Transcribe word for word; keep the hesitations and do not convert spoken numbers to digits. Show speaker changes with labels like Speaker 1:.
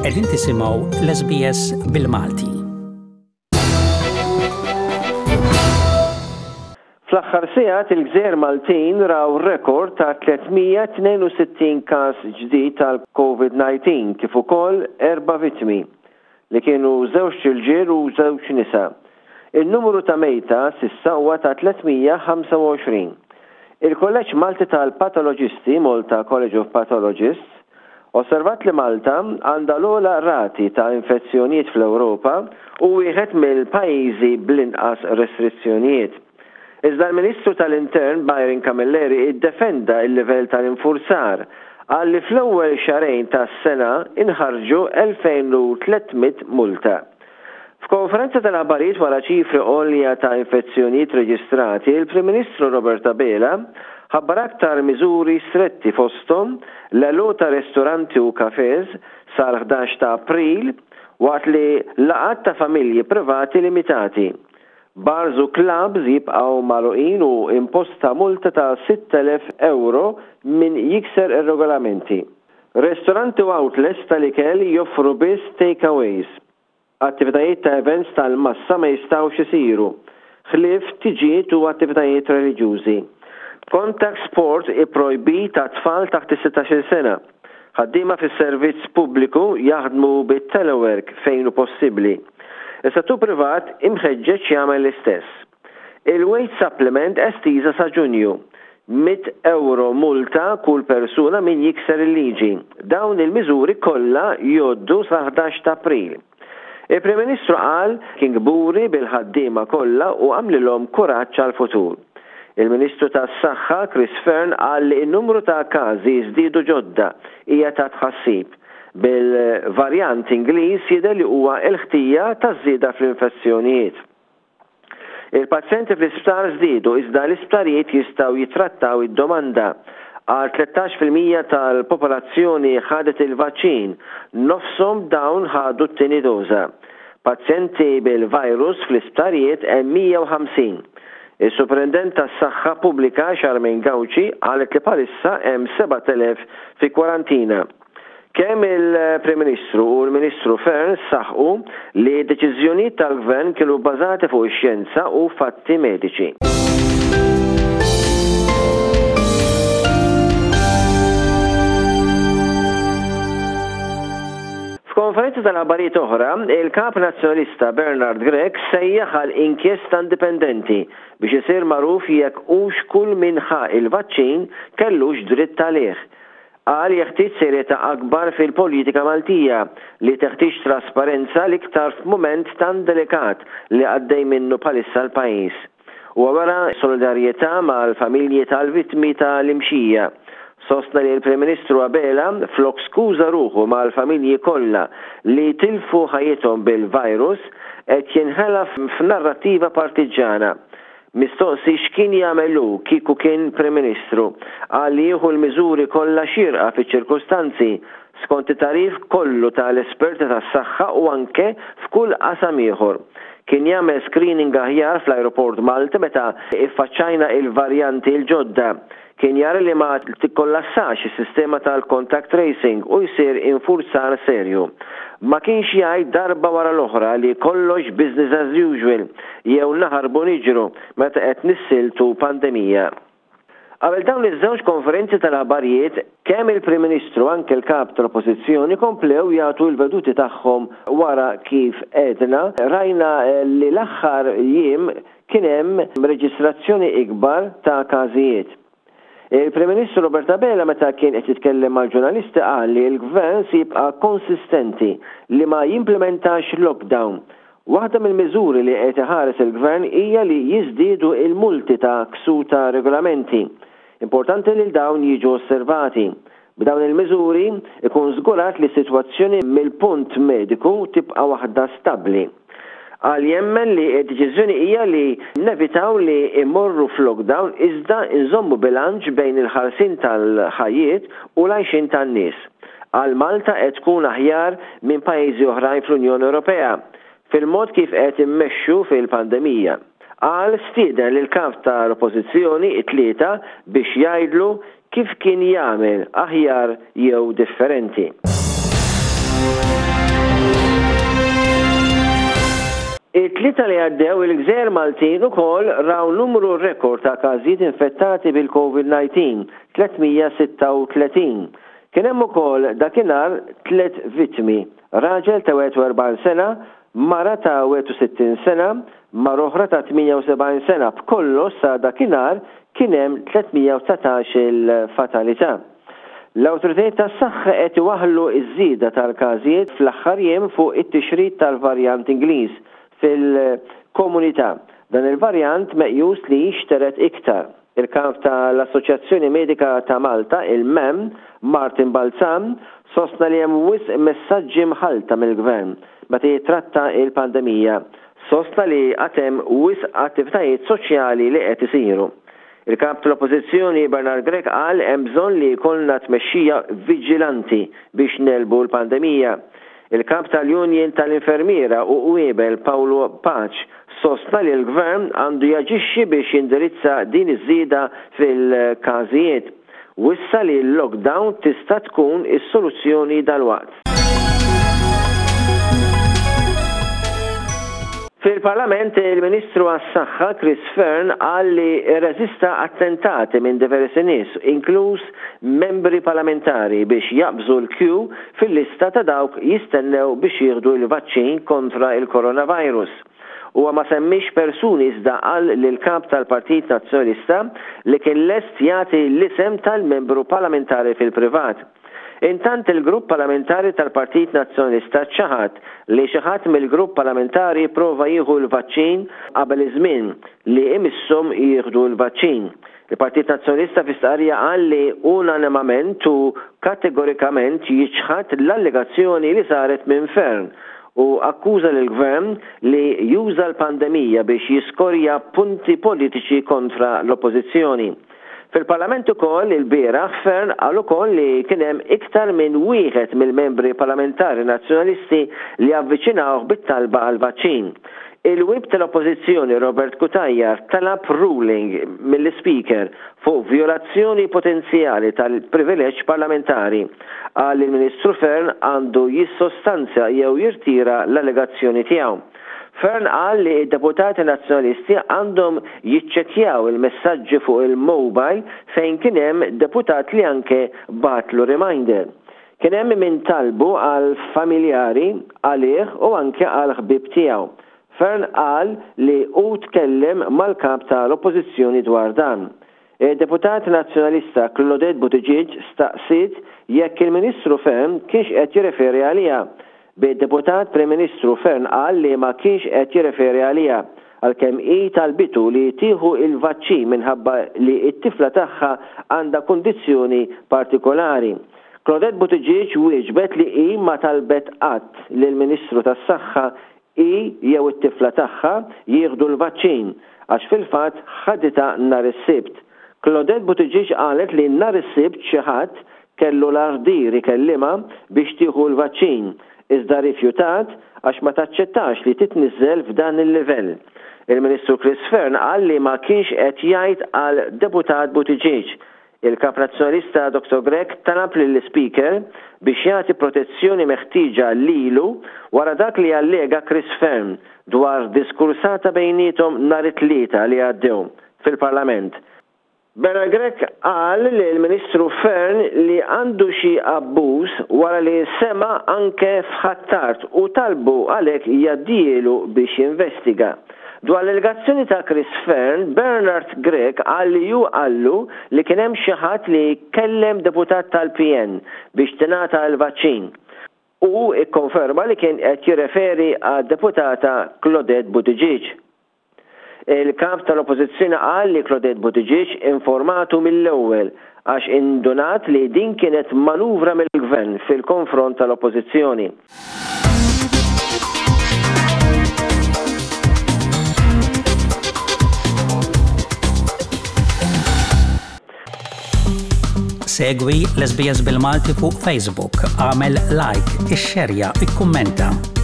Speaker 1: Qegħdin tisimgħu l-S B S bil-Malti.
Speaker 2: Fl-aħħar sigħat, il-Gżejjer Maltin raw rekord ta' tliet mija tnejn u sittin każ ġdid tal-COVID nineteen kif ukoll erba' vittmi li kienu żewġ irġiel u żewġ nisa. Il-numru ta' mejta s'issa huwa ta' tliet mija ħamsa u għoxrin. Il-Kolleġġ Malti tal-Patoloġisti, Malta College of Pathologists, osservat li Malta għandha l-ogħla rati ta' infezzjonijiet fl-Ewropa u wieħed mill-pajjiżi bl-inqas restrizzjonijiet. Iżda l-Ministru tal-Intern Byron Camilleri iddefenda il-livell tal-infurzar, qal li fl-ewwel xahrejn tas-sena inħarġu elfejn u tliet mitt multa. F'konferenza tal-aħbarijiet wara ċifri għolja ta' infezzjonijiet reġistrati, il-Prim Ministru Robert Abela ħabbar aktar miżuri stretti, fosthom l-għeluq ta' ristoranti u kafes sal-ħdax ta' April, waqt li laqgħat ta' familji privati limitati. Bars u clubs jibqaw magħluqin u imposta multa ta' sitt elef euro min jikser ir-regolamenti. Ristoranti u outlets tal-ikel joffru biss takeaways. Attivitajiet ta' events tal-massa ma jistawx isiru, ħlief tiġijiet u attivitajiet reliġjużi. Contact sport ipprojbit ta' tfal taħt is-sittax-il sena. Ħaddiema fis-servizz pubbliku jaħdmu bit-telework fejn hu possibbli. Is-settur privat imħeġġeġ jagħmel l-istess. Il-wage supplement estiża sa Ġunju. Mitt euro multa kull persuna min jikser il-liġi. Dawn il-miżuri kollha jgħoddu sa ħdax ta' April. Il-Prim Ministru qal kien kburi bil-ħaddiema kollha u għamlilhom kuraġġ għal-futur. Il-Ministru tas-Saħħa Chris Fearne qal li n-numru ta' każi żdiedu ġodda hija ta' tħassib, bil-varjant Ingliż jidher li huwa l-ħtija taż-żieda fl-infezzjonijiet. Il-pazjenti fl-isptar żdiedu, iżda l-isptarijiet jistgħu jitrattaw id-domanda. Għal tlettax fil-mija tal-popolazzjoni ħadet il-vaċċin, nofshom dawn ħadu t-tieni doża. Pazjenti bil-virus fl-isptarijiet hemm mija u ħamsin. Il-Superintendent tas-Saħħa Pubblika Charmaine Gauci qalet li bħalissa hemm sebat elef fi kwarantina. Kemm il-Prim Ministru u l-Ministru Fearne saħqu li deċiżjonijiet tal-Gvern kienu bbażati fuq ix-xjenza u fatti mediċi. F'konferenza tal-aħbarijiet oħra, il-kap nazzjonalista Bernard Grech sejjaħ għal inkjesta indipendenti biex isir magħruf jekk hux kull min ħa il-vaċċin kellux dritt għalih. Qal jeħtieġ serjetà akbar fil-politika Maltija li teħtieġ trasparenza, l-iktar f'mument tan delikat li għaddej minnu bħalissa l-pajjiż. U wara solidarjetà mal-familji tal-vittmi tal-Imxija. Sostna li l-Prim Ministru Abela, flok skuża ruħu mal-familji kollha li tilfu ħajjithom bil-virus, qed jinħela f'narrattiva partiġana. Mistoqsi x'kien jagħmel hu kieku kien Prim Ministru, qal li jieħu l-miżuri kollha xierqa fiċ-ċirkustanzi skont it-tagħrif kollu tal-esperti tas-saħħa u anke f'kull qasam ieħor. Kien jagħmel screening aħjar fl-aeroport Malta meta iffaċċajna il-varjanti l-ġodda. Kien jara li ma tikkollassax is-sistema tal-contact tracing u jsir infurzar serju. Ma kienx jgħid darba wara l-oħra li kollox business as usual jew naħarbu niġru meta qed nissieltu pandemija. Qabel dawn iż-żewġ konferenzi tal-aħbarijiet, kemm il-Prim Ministru, anke l-kap tal-Oppożizzjoni komplew jagħtu l-veduti tagħhom wara kif edna rajna li l-aħħar jiem kien hemm reġistrazzjoni ikbar ta' każijiet. Il-Prim Ministru Robert Abela, meta kien qed jitkellem mal-ġurnalisti, qal li l-gvern se jibqa' konsistenti li ma jimplementax lockdown. Waħda mill-miżuri li qed iħares il-gvern hija li jiżdiedu il-multi ta' ksur ta' regolamenti. Importanti li dawn jiġu osservati. B'dawn il-miżuri ikun żgurat li s-sitwazzjoni mill-punt mediku tibqa' waħda stabbli. Qal jemmen li d-deċiżjoni hija li nevitaw li immorru f'lockdown, iżda nżommu bilanċ bejn il-ħarsin tal-ħajjiet u l-għajxin tan-nies. Qal Malta qed tkun aħjar minn pajjiżi oħrajn fl-Unjoni Ewropea fil-mod kif qed immexxu fil-pandemija. Qal stieden lil kap tal-Oppożizzjoni it-Tlieta biex jgħidlu kif kien jagħmel aħjar jew differenti. It-Tlieta li għaddew il-Gżejjer Maltin ukoll raw numru rekord ta' każijiet infettati bil-COVID nineteen, tliet mija sitta u tletin. Kien hemm ukoll dakinhar tliet vittmi, raġel ta' wieħed u erbgħin sena, mara ta' wieħed u sittin sena, mara oħra ta' tmienja u sebgħin sena. B'kollox sa dakinhar kien hemm tliet mija u dsatax il-fatalità. L-awtoritajiet tas-saħħa qed iwaħħlu iż-żieda tal-każijiet fl-aħħar jiem fuq it-tixrid tal-varjant Ingliż fil-komunità. Dan il-varjant meqjus li jixteret iktar. Il-kap tal-Assoċjazzjoni Medika ta' Malta, il-M A M, Martin Balzan, sostna li hemm wisq messaġġi mħalta mill-gvern meta jitratta il-pandemija. Sostna li għad hemm wisq attivitajiet soċjali li qed isiru. Il-kap tal-Oppożizzjoni Bernard Grech qal hemm bżonn li jkollna tmexxija viġilanti biex negħlbu l-pandemija. Il-kap tal-Union tal-Infermiera u Qwiebel Paolo Pace sostna li l-gvern għandu jaġixxi biex jindirizza din iż-żieda fil-każijiet. Wissa li l-lockdown tista' tkun is-soluzzjoni dalwaqt. Fil-Parlament, il-Ministru għas-Saħħa Chris Fearne qal li reżista attentati minn diversi nies, inkluż membri parlamentari, biex jaqbżu l-kju fil-lista ta' dawk jistennew biex jieħdu l-vaċċin kontra il-coronavirus. Huwa ma semmix persuni, iżda qal lil kap tal-Partit Nazzjonalista li kien lest jagħti l-isem tal-membru parlamentari fil-privat. Intant, il-grupp parlamentari tal-Partit Nazzjonalista ċaħad li xi ħadd mill-grupp parlamentari prova jieħu l-vaċċin qabel iż-żmien li imisshom jieħdu l-vaċċin. Il-Partit Nazzjonalista fi stqarrija qal li unanimament u kategorikament jiċħad l-allegazzjoni li saret minn Fearne u akkuża l-gvern li juża l-pandemija biex jiskorja punti politiċi kontra l-oppożizzjoni. Fil-Parlament ukoll il-bieraħ, Fearne qal ukoll li kien hemm iktar minn wieħed mill-membri parlamentari nazzjonalisti li avviċinawh bit-talba għal vaċċin. Il-whip tal-Oppożizzjoni Robert Cutajar talab ruling mill-Speaker fuq violazzjoni potenzjali tal-privileġġ parlamentari. Qal il-Ministru Fearne għandu jissostanzja jew jirtira l-allegazzjoni tiegħu. Fearne qal li d-deputati nazzjonalisti għandhom jiċċekkjaw il-messaġġi fuq il-mobile fejn kien hemm deputat li anke bagħatlu reminder. Kien hemm min talbu għal familjari, għalih u anke għal ħbib tiegħu. Fearne qal li hu tkellem mal-kap tal-Oppożizzjoni dwar dan. Il-deputat nazzjonalista Claudette Buttigieg staqsiet jekk il-Ministru Fearne kienx qed jirreferi għaliha. Bid-deputat Prim Ministru Fearne qal li ma kienx qed jirreferi għaliha, għalkemm hi talbitu li tieħu il-vaċċin minħabba li t-tifla tagħha għandha kundizzjoni partikolari. Claudette Buttigieg wieġbet li hi ma talbet qatt lill-Ministru tas-Saħħa hi jew it-tifla tagħha jieħdu l-vaċċin, għax fil-fatt ħaditha nhar is-Sibt. Claudette Buttigieg qalet li nhar is-Sibt xi ħadd kellu l-ardir ikellimha biex tieħu l-vaċċin, iżda rifjutat għax ma taċċettax li titniżel f'dan il-livell. Il-Ministru Chris Fearne qal li ma kienx qed jgħid għal deputat Buttigieg. Il-kap nazzjonalista Doctor Grech talab lill-Speaker biex jagħti protezzjoni meħtieġa lilu wara dak li allega Chris Fearne dwar diskursata bejnietom nhar it-Tlieta li għaddew fil-Parlament. Bernard Grech qal li l-Ministru Fearne li għandu xi abbuż wara li sema anke f'Ħ'Attard u talbu għalhekk jgħaddielu biex jinvestiga. Dwar l-allegazzjoni ta' Chris Fearne, Bernard Grech qal li hu qallu li kien hemm xi ħadd li kellem deputat tal-P N biex tingħata l-vaċċin. U ikkonferma li kien qed jirreferi għad-deputata Claudette Buttigieg. Il-kap tal-Oppożizzjoni qal li Claudette Buttigieg informatu mill-ewwel għax indunat li din kienet manuvra mill-gvern fil-konfront tal-Oppożizzjoni.
Speaker 1: Segwi l-S B S bil-Malti fuq Facebook, agħmel like, ixxerja, ikkummenta.